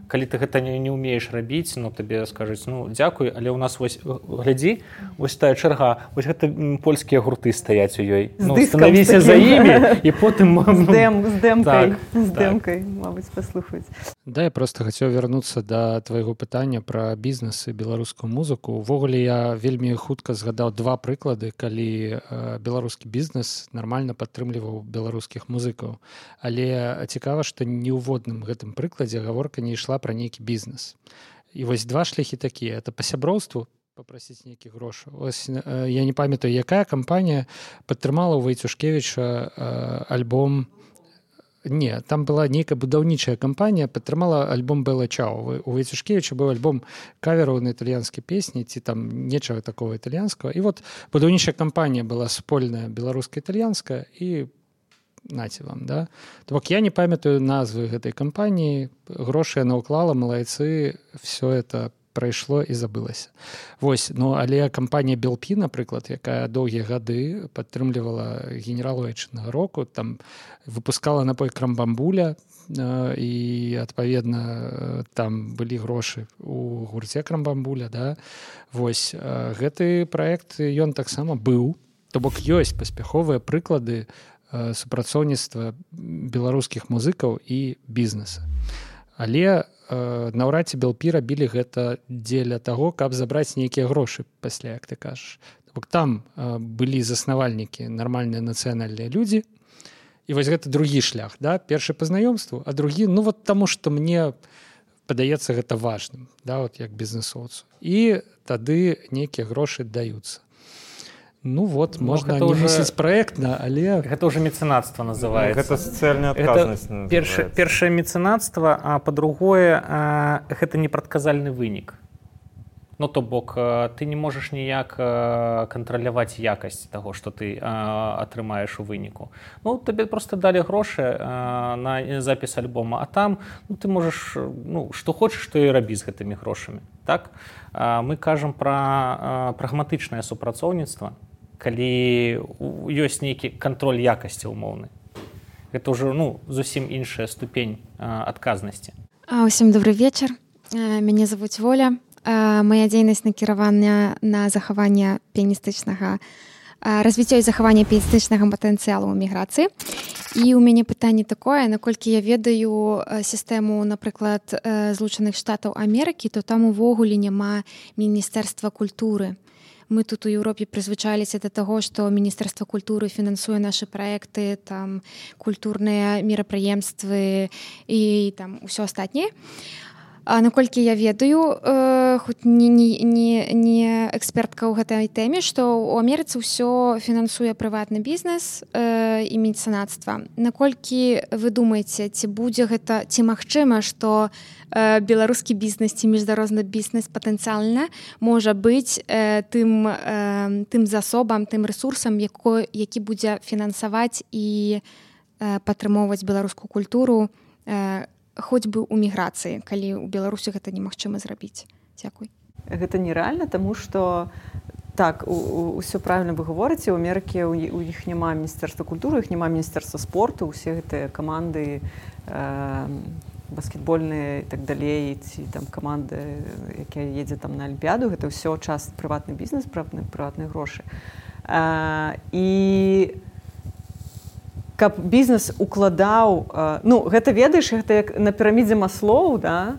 Калі ты гэта не, не ўмееш рабіць, ну, табе скажуць, ну, дзякуй, але ў нас вось, глядзі, вось тая чарга, вось гэта польскія гурты стаяць у ёй. З ну, дыскам станавіся за імі, і потым... З, дэм, з дэмкай, так, з дэмкай, так. Мабыць, паслухаць. Да, я просто хацеў вярнуцца да твайго пытання пра бізнес і беларускую музыку. Увогуле, я вельмі хутка згадаў два прыклады, калі э, беларускі бізнес нармальна падтрымліваў беларускіх музыкаў. Але цікава, што ні ў водным гэтым прыкладзе гаворка не ішла пра нейкі бізнес. І вось два шляхі такія. Это па сяброўству, попросіць нейкіх грошаў. Ось, э, я не памятаю, якая кампанія падтрымала ў Вайцюшкевіча э, альбом. Не, там была нейкая будаўнічая кампанія, падтрымала альбом Бэла Чао. У Вайцюшкевіча быў альбом кавераў на італьянскія песні, ці там нечага такого італьянскага. І вот будаўнічая кампанія была супольная беларуска-італьянская, і наці вам, да? То бок я не памятаю назвы гэтай кампаніі, грошы яна ўклала, малайцы, все это прайшло і забылася. Вось, ну, але кампанія Белпі, напрыклад, якая доўгія гады падтрымлівала генералу айчыннага року, там выпускала напой Крамбамбуля, і, адпаведна, там былі грошы у гурце Крамбамбуля, да? Вось, гэты праект, ён таксама быў, то бок ёсць паспяховыя прыклады супрацоўніцтва беларускіх музыкаў і бізнеса. Але э, наўрад ці Белпі рабілі гэта дзеля таго, каб забраць нейкія грошы пасля, як ты кажаш. Бок там э, былі заснавальнікі, нармальныя нацыянальныя людзі, і вось гэта другі шлях, да? Першы па знаёмству, а другі, ну вот таму, што мне падаецца гэта важным, да, вот як бізнесоўцу. І тады нейкія грошы даюцца. Ну вот, ну, можна не уже... мысліць праектна, але... Гэта ўжо мецэнацтва называецца. Гэта сацыяльная адказнасць называецца. Першае, першае мецэнацтва, а па-другое, гэта непрадказальны вынік. Ну, то бок, ты не можаш ніяк кантраляваць якасць таго, што ты атрымаеш у выніку. Ну, табе проста далі грошы на запіс альбома, а там ну, ты можаш, ну, што хочаш, што і рабі з гэтымі грошамі. Так? Мы кажам пра прагматычнае супрацоўніцтва, калі ёсць нейкі кантроль якасці ўмоўны. Гэта ўжо ну, зусім іншая ступень адказнасці. Усім добрый вечар. Мяне завуць Воля. Моя дзейнасць накіравана на захаванне піяністычнага развіццё і захаванне піяністычнага патэнцыялу ў міграцыі. І ў мяне пытанне такое, наколькі я ведаю сістэму, напрыклад, Злучаных Штатаў Амерыкі, то там увогуле няма міністэрства культуры. Мы тут у Еўропе прызвычаліся да таго, што Міністэрства культуры фінансуе нашы праекты, там культурныя мерапрыемствы і там усё астатняе. А наколькі я ведаю, э, хоць не, не, не, не экспертка ў гэтай тэме, што ў Амерыцы ўсё фінансуе прыватны бізнес э, і мецэнацтва. Наколькі вы думаеце, ці будзе гэта, ці магчыма, што э, беларускі бізнес ці міжнародны бізнес патэнцыяльна можа быць э, тым, э, тым засобам, тым рэсурсам, яко, які будзе фінансаваць і э, падтрымоўваць беларускую культуру, э, хоць бы ў міграцыі, калі ў Беларусі гэта немагчыма зрабіць. Дзякуй. Гэта нерэальна, таму што так, усё правільна вы говорыце, у Амерыкі у іх няма міністэрства культуры, іх няма міністэрства спорту, усе гэтыя каманды э, баскетбольныя і так далей, ці там каманды, якія едзе там на Алімпіяду, гэта ўсё час прыватны бізнес, прыватныя прыватныя грошы. Э, і каб бізнес укладаў, ну, гэта ведаеш, гэта як на пірамідзе Маслоў, да?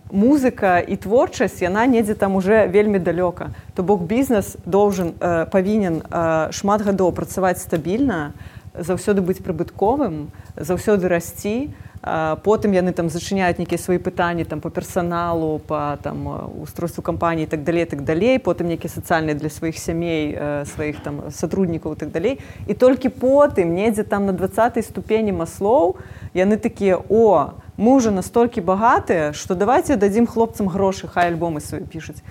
Музыка і творчасць, яна недзе там уже вельмі далёка. То бок бізнес должен, павінен шмат гадоў працаваць стабільна, заўсёды быць прыбытковым, заўсёды расці, потым яны там зачыняюць нейкія свае пытанні там по персаналу, по там устройству кампаніі і так далей, так далей, потым нейкія сацыяльныя для сваіх сямей, сваіх там сотруднікаў і так далей. І толькі потым недзе там на дваццатай ступені Маслоў яны такія: о, мы ўжо настолькі багатыя, што давайте дадзім хлопцам грошы, хай альбомы свае пішуць.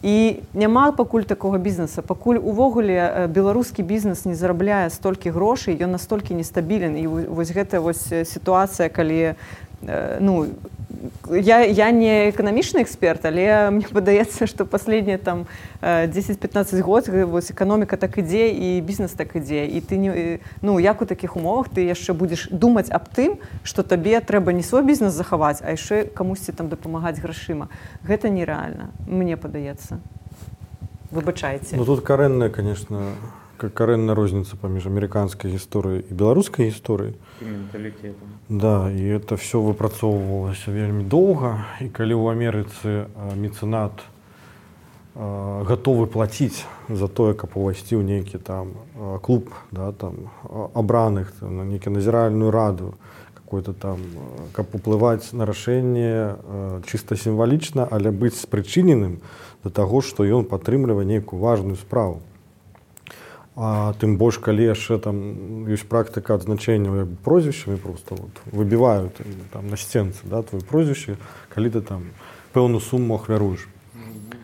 І няма пакуль такога бізнеса. Пакуль увогуле беларускі бізнес не зарабляе столькі грошай, ён настолькі нестабілен. І вось гэта вось сітуацыя, калі, ну, я, я не эканамічны эксперт, але мне падаецца, што паследнія там дзесяць-пятнаццаць год вось эканоміка так ідзе і бізнес так ідзе. І ты не, ну, як у такіх умовах ты яшчэ будзеш думаць аб тым, што табе трэба не свой бізнес захаваць, а яшчэ камусьці там дапамагаць грашыма. Гэта нерэальна, мне падаецца. Выбачайце. Ну тут карэнная, конечно, карэнная розніца паміж амерыканскай гісторыяй і беларускай гісторыяй. І менталітетам. Да, і это все выпрацоўвалася вельмі доўга, і калі ў Амерыцы мецэнат гатовы плаціць за тое, каб увайсці ў нейкі там клуб, да, там абраных, на нейкі назіральную раду, какой-то там, каб уплываць на рашэнне чыста сімвалічна, але быць спрычыненым да таго, што ён падтрымлівае нейкую важную справу. А тым больш, калі яшчэ там ёсць практыка адзначэння прозвішчамі, просто вот, выбіваюць там на сценцы, да, твоё прозвішча, калі ты там пэўную суму ахвяруеш.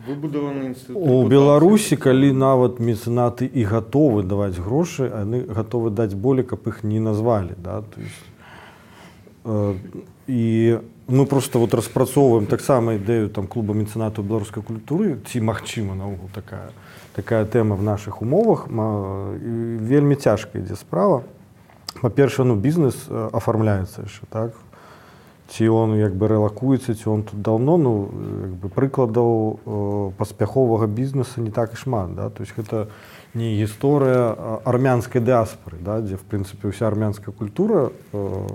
Выбудаваны інстытут. У Беларусі, калі нават мецэнаты і гатовы даваць грошы, яны гатовы даць болей, каб іх не назвалі. Да? То есть, э, і мы просто вот распрацоўваем таксама ідэю там, клуба мецэнатаў беларускай культуры, ці магчыма наогул такая, такая тэма в наших умовах. Вельмі цяжка ідзе справа. Па-першае, ну, бізнес афармляецца яшчэ, так? Ці он як бы рэлакуецца, ці он тут даўно, ну, як бы прыкладаў э, паспяховага бізнеса не так і шмат, да? То есть гэта не гісторыя армянскай дыаспоры, да? Дзе, в прынцыпе, ўся армянская культура э,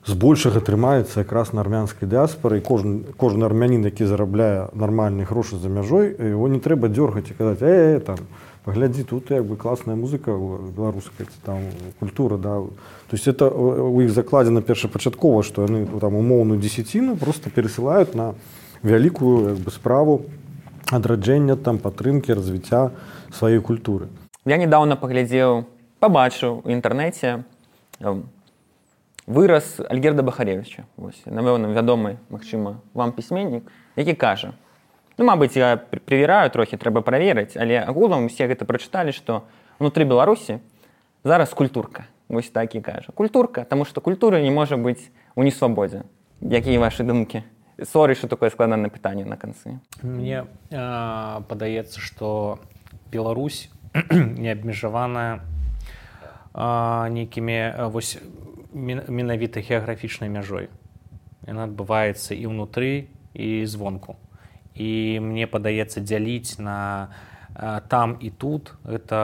збольшага трымаецца якраз на армянскай дыаспоры, і кожны, кожны армянін, які зарабляе нармальныя грошы за мяжой, его не трэба дзёргаць і казаць: э, э, там, паглядзі, тут як бы класная музыка беларуская, там культура, да. То есть это у іх закладзена першапачаткова, што яны там умоўную дзесяціну просто перасылаюць на вялікую як бы справу адраджэння, там падтрымкі, развіцця сваёй культуры. Я недавно паглядзеў, пабачыў у інтэрнэце выраз Альгерда Бахаревіча. Вось, напэўна, вядомы, магчыма, вам пісьменнік, які кажа: ну, мабыць, я прывіраю трохі, трэба праверыць, але агулам усе гэта прачыталі, што ўнутры Беларусі зараз культурка. Вось так і кажа. Культурка, таму што культура не можа быць у несвабодзе. Якія вашы думкі? Сорі, што такое складанае пытанне на канцы. Мне э, падаецца, што Беларусь не абмежаваная э, нейкімі вось менавіта геаграфічнай мяжой. Яна адбываецца і ўнутры, і звонку. І мне падаецца, дзяліць на э, там і тут, гэта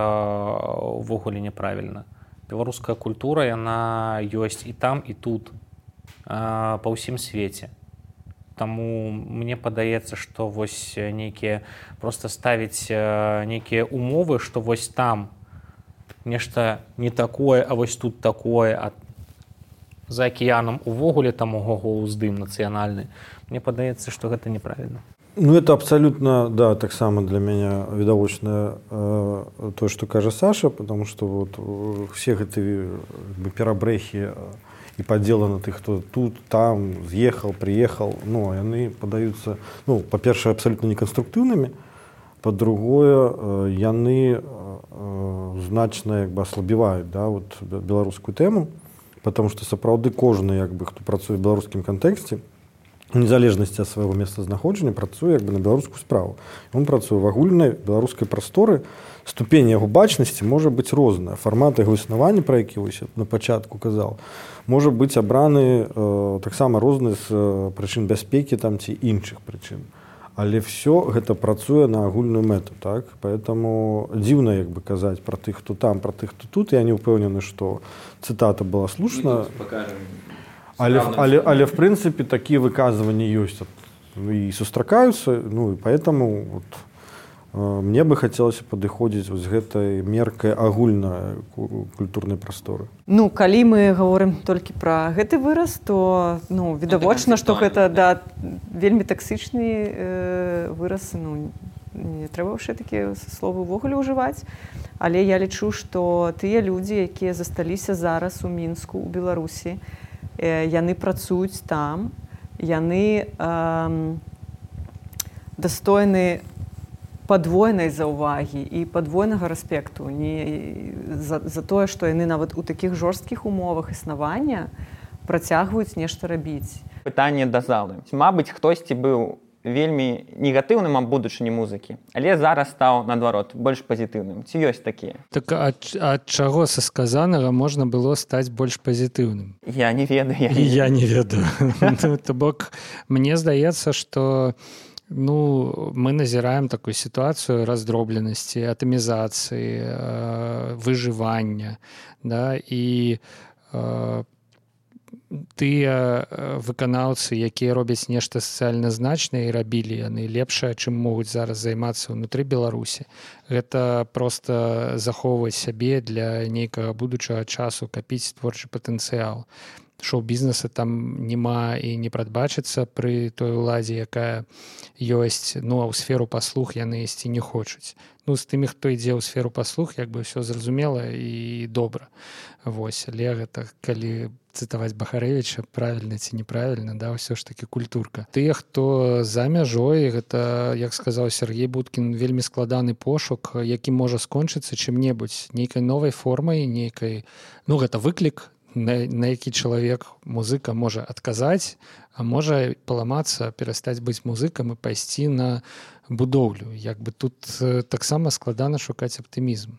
ўвогуле няправільна. Беларуская культура, яна ёсць і там, і тут, э, па ўсім свеце. Таму мне падаецца, што вось нейкія, проста ставіць э, нейкія умовы, што вось там нешта не такое, а вось тут такое, а за акіянам увогуле там ого-го ўздым нацыянальны. Мне падаецца, што гэта неправільна. Ну, это абсолютно, да, так само для меня відавочна э, то, что кажа Саша, потому что вот все эти как бы, перабрэхи и подделы на тых, кто тут, там, съехал, приехал, ну, они подаются, ну, по-перше, абсолютно неконструктивными, по-другое, э, яны э, значно как бы ослабевают, да, вот белорусскую тему, потому что сапраўды кожны, как бы, хто працуе в белорусскім контексте, в незалежнасці ад свайго месцазнаходжання працуе як бы на беларускую справу. Ён працуе в агульнай беларускай прасторы, ступень яго бачнасці можа быць розная. Фармат яго існавання, пра які вось на пачатку казаў, можа быць абраны э, таксама розны з э, прычын бяспекі там ці іншых прычын. Але все гэта працуе на агульную мэту, так? Поэтому дзіўна як бы казаць пра тых, хто там, пра тых, хто тут. Я не ўпэўнены, што цытата была слушна. Але, але, але в прынцыпе такія выказванні ёсць і сустракаюцца, ну і поэтому вот, э, мне бы хацелася падыходзіць з гэтай меркай агульнай культурнай прасторы. Ну, калі мы гаворым толькі пра гэты выраз, то ну, відавочна, што гэта да, вельмі таксычны э, выраз, ну, не трэба ўжо такія словы ўвогуле ўжываць. Але я лічу, што тыя людзі, якія засталіся зараз у Мінску, у Беларусі, яны працуюць там, яны э, дастойны падвойнай заўвагі і падвойнага рэспекту не за, за тое, што яны нават у такіх жорсткіх умовах існавання працягваюць нешта рабіць. Пытанне да залы. Мабыць, хтосьці быў вельмі негатыўным аб будучыні музыкі, але зараз стаў, наадварот, больш пазітыўным. Ці ёсць такія? Так ад, ад чаго са сказанага можна было стаць больш пазітыўным? Я не ведаю. Я не, я не ведаю. То бок, мне здаецца, што ну, мы назіраем такую сітуацыю раздробленасці, атамізацыі, выжывання, да, і э, тыя выканаўцы, якія робяць нешта сацыяльна значнае і рабілі яны лепшае, чым могуць зараз займацца ўнутры Беларусі. Гэта проста захоўваць сябе для нейкага будучага часу, капіць творчы патэнцыял. Шоу-бізнеса там няма і не прадбачыцца пры той уладзе, якая ёсць, ну а ў сферу паслуг яны ісці не хочуць. Ну, з тымі, хто ідзе ў сферу паслуг, як бы ўсё зразумела і добра. Вось, але гэта, калі цытаваць Бахарэвіча, правільна ці неправільна, да, ўсё ж такі культурка. Тыя, хто за мяжой, гэта, як сказаў Сергей Будкін, вельмі складаны пошук, які можа скончыцца чым-небудзь, нейкай новай формай, нейкай, ну, гэта выклік, на, на які чалавек, музыка можа адказаць, а можа паламацца, перастаць быць музыкам і пайсці на будоўлю. Як бы тут таксама складана шукаць аптымізм.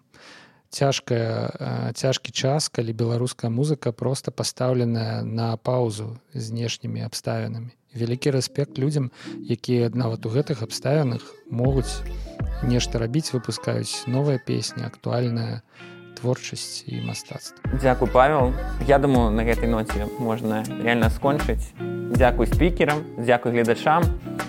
Цяжкая, цяжкі час, калі беларуская музыка проста пастаўленая на паўзу знешнімі абставінамі. Вялікі рэспект людзям, якія нават у гэтых абставінах могуць нешта рабіць, выпускаюць новыя песні, актуальная творчасць і мастацтва. Дзякуй, Павел. Я думаю, на гэтай ноце можна реально скончыць. Дзякуй спікерам, дзякуй гледачам.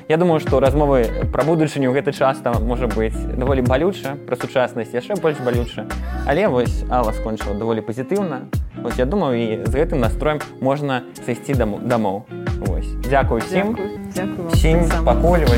Я думаю, што размовы пра будучыню гэта часта можа быць даволі балюча, пра сучаснасць яшчэ больш балюча. Але вось Алла скончыла даволі пазітыўна. Вось я думаю, і з гэтым настроем можна сысці дамоў. Вось. Дзякуй усім. Дзякуй. Дзякуй вам. Всім пакуль.